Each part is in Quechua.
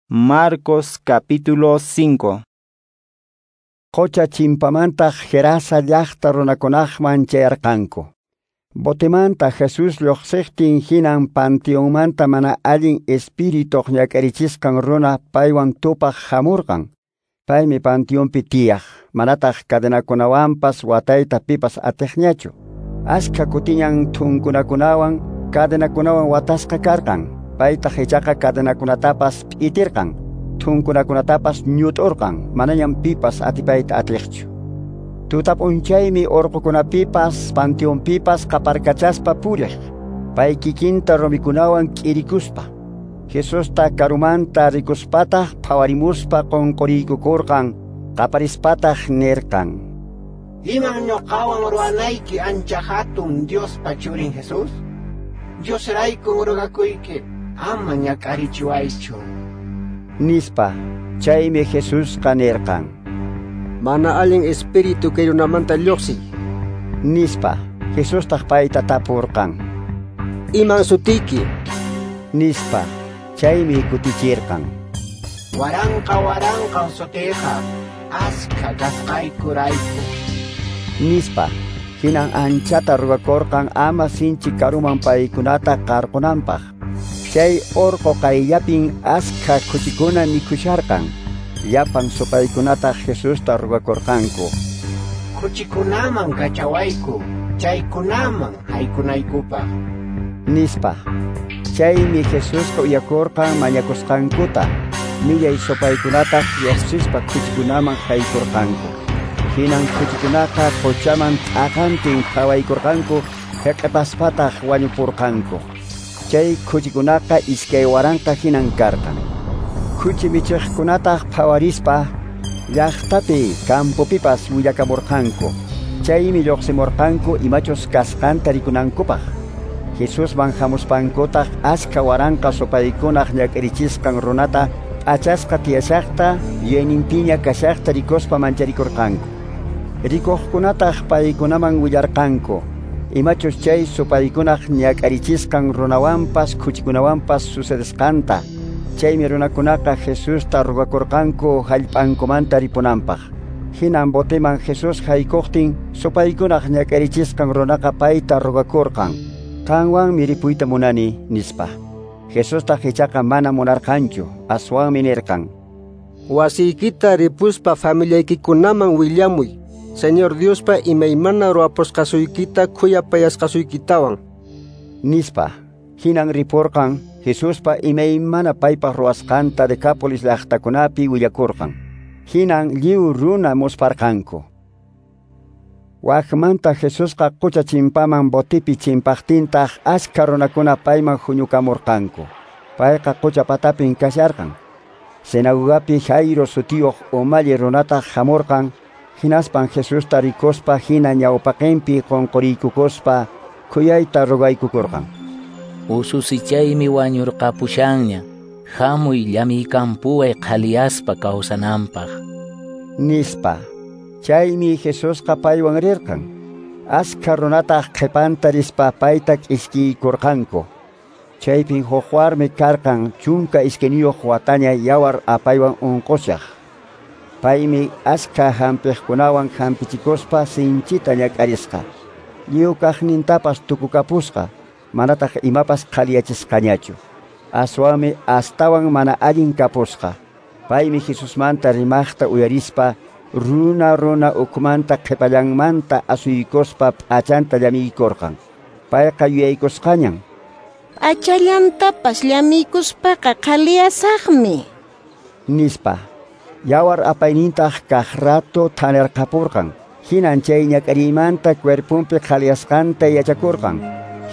Marcos capítulo 5. Qocha chimpamantaq Gerasa llaqta runakunaqman chayarqanku. Botemanta Jesús lluqsiqtin hinan panteonmanta mana allin espirituq ñak'arichisqan runa paywan tupaq hamurqan. Paymi panteonpi tiyaq, manataq cadenakunawanpas watayta pipas atiqñachu. Askha kutiñan thunkunakunawan cadenakunawan watasqa karqan. Paytaq ichaqa cadenakunatapas p'itirqan, thunkunakunatapas ñut'urqan, manañam pipas atipayta atiqchu. Tutap'unchaymi urqukunapipas panteonpipas qaparkachaspa puriq, pay kikinta rumikunawan k'irikuspa. Jesusta karumanta rikuspataq phawarimuspa qunquriykukurqan, qaparispataq nirqan: Iman ñuqawan ruwanayki ancha hatun Diospa churin Jesús? Diosraykun rugakuyki, ama ñak'arichiwaychu. Nispa. Chaymi Jesusqa nirqan: Mana allin espíritu kay runamanta lluqsiy. Nispa. Jesustaq payta tapurqan: Iman sutiyki? Nispa. Chaymi kutichirqan: Waranqa waranqan sutiyqa, askha kasqaykurayku. Nispa. Hinan anchata rugakurqan ama sinchi karuman paykunata qarqunanpaq. Chay urqu qayllapin askha khuchikuna mikhusharqan. Llapan supaykunataq Jesusta rugakurqanku: Khuchikunaman kachawayku, chaykunaman haykunaykupaq. Nispa. Chaymi Jesusqa uyakurqan mañakusqankuta. Millay supaykunataq lluqsispa khuchikunaman haykurqanku. Hinan khuchikunaqa quchaman t'aqantin phawaykurqanku, hiq'ipaspataq wañupurqanku. Chay khuchikunaqa 2000 hinan karqan. Khuchi michiqkunataq phawarispa llaqtapi campopipas willakamurqanku. Chaymi lluqsimurqanku imachus kasqanta rikunankupaq. Jesusman hamuspankutaq askha waranqa supaykunaq ñak'arichisqan runata p'achasqa tiyashaqta yuyayninpiña kashaqta rikuspa mancharikurqanku. Rikuqkunataq paykunaman willarqanku imachus chay supaykunaq ñak'arichisqan runawanpas khuchikunawanpas sucedesqanta. Chaymi runakunaqa Jesusta rugakurqanku hallp'ankumanta ripunanpaq. Hinan boteman Jesús haykuqtin supaykunaq ñak'arichisqan runaqa payta rugakurqan: Qanwanmi ripuyta munani, nispa. Jesustaq ichaqa mana munarqanchu, aswanmi nirqan: Wasiykita ripuspa familiaykikunaman willamuy, Señor Diospa imaymana ruwapusqasuykita khuyapayasqasuykitawan. Nispa. Hinan ripurqan, Jesuspa imaymana paypaq ruwasqanta Decápolis llaqtakunapi willakurqan. Hinan lliw runa musparqanku. Waqmanta Jesusqa qucha chimpaman botipi chimpaqtintaq askha runakuna payman huñukamurqanku. Payqa qucha patapin kasharqan. Sinagogapi Jairo sutiyuq umalli runataq hamurqan. Hinaspan Jesusta rikuspa hina ñawpaqinpi qunquriykukuspa khuyayta rugaykukurqan: Ususichaymi wañurqapushanña, hamuy llamiykampuway qhaliyaspa kawsananpaq. Nispa. Chaymi Jesusqa paywan rirqan. Askha runataq qhipanta rispa payta k'iskiykurqanku. Chaypin huk warmi karqan 12 wataña yawar apaywan unqushaq. Paymi askha hampiqkunawan hampichikuspa sinchita ñak'arisqa. Lliw kaqnintapas tukukapusqa, manataq imapas qhaliyachisqañachu. Aswanmi astawan mana allin kapusqa. Paymi Jesusmanta rimaqta uyarispa runa runa ukhumanta qhipallanmanta asuykuspa p'achanta llamiykurqan. Payqa yuyaykusqañan: P'achallantapas llamiykuspaqa qhaliyasaqmi, nispa. Yawar apaynintaq kaq rato thanirqapurqan. Hinan chay ñak'ariymanta cuerpunpi qhaliyasqanta yachakurqan.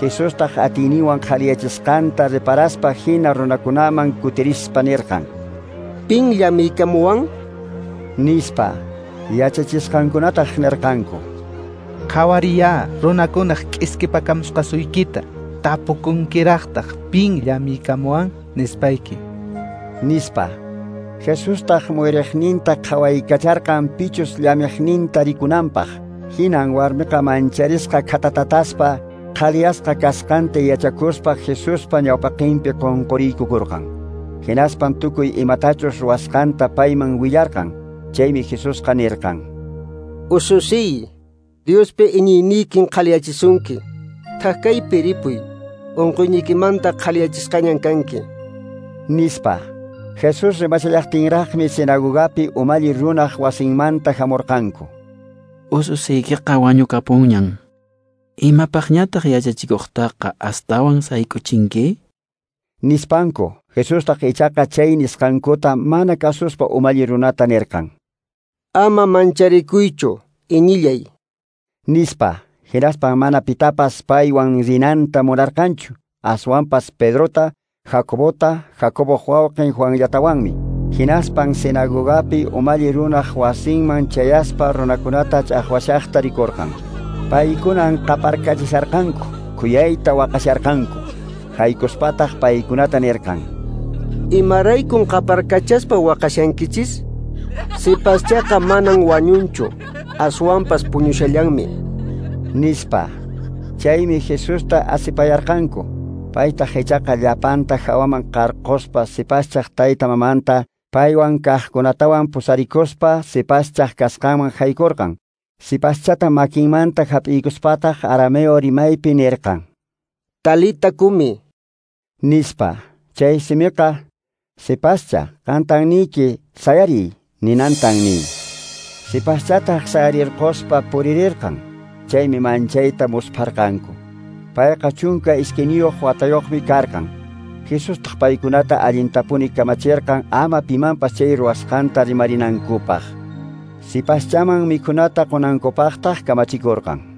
Jesustaq atiyninwan qhaliyachisqanta reparaspa hina runakunaman kutirispa nirqan: Pin llamiykamuwan? Nispa. Yachachisqankunataq nirqanku: Qhawariya runakunaq k'iskipakamusqasuykita, tapukunkiraqtaq pin llamiykamuwan nispayki. Nispa. Jesustaq muyriqninta qhawaykacharqan pichus llamiqninta rikunanpaq. Hinan warmiqa mancharisqa khatatataspa qhaliyasqa kasqanta yachakuspa Jesuspa ñawpaqinpi qunquriykukurqan. Hinaspan tukuy imatachus ruwasqanta payman willarqan. Chaymi Jesusqa nirqan: Ususiy, Diospi iñiyniykin qhaliyachisunki. Thak-kaypi ripuy, unquyniykimanta qhaliyachisqañan kanki. Nispa. Jesús rimashallaqtinraqmi sinagogapi umalli runaq wasinmanta hamurqanku. Ususiykiqa wañukapunñan. Imapaqñataq yachachikuqtaqa astawan sayk'uchinki? Nispanku. Jesustaq ichaqa chay nisqankuta mana kasuspa umalli runata nirqan: Ama mancharikuychu, iñillay. Nispa. Hinaspan mana pitapas paywan rinanta munarqanchu, aswanpas Pedrota, Jacobota, Jacoboq wawqin Juanllatawanmi. Hinaspan sinagogapi umalli runaq wasinman chayaspa runakunata ch'aqwashaqta rikurqan. Paykunan qaparkachisharqanku, khuyayta waqasharqanku. Haykuspataq paykunata nirqan: Imaraykun qaparkachaspa waqashankichis? Sipaschaqa manan wañunchu, aswanpas puñushallanmi. Nispa. Chaymi Jesusta asipayarqanku. Paytaq ichaqa llapanta hawaman qarquspa sipaschaq tayta mamanta paywan kaqkunatawan pusarikuspa sipaschaq kasqanman haykurqan. Sipaschata makinmanta hap'iykuspataq arameo rimaypi nirqan: Talita kumi. Nispa. Chay simiqa sipascha, qantan niyki, sayariy ninantan nin. Sipaschataq sayarirquspa puririrqan. Chaymi manchayta muspharqanku. Payqa 12 watayuqmi karqan. Jesustaq paykunata allintapuni kamachirqan ama pimanpas chay ruwasqanta rimarinankupaq. Sipaschaman mikhunata qunankupaqtaq kamachikurqan.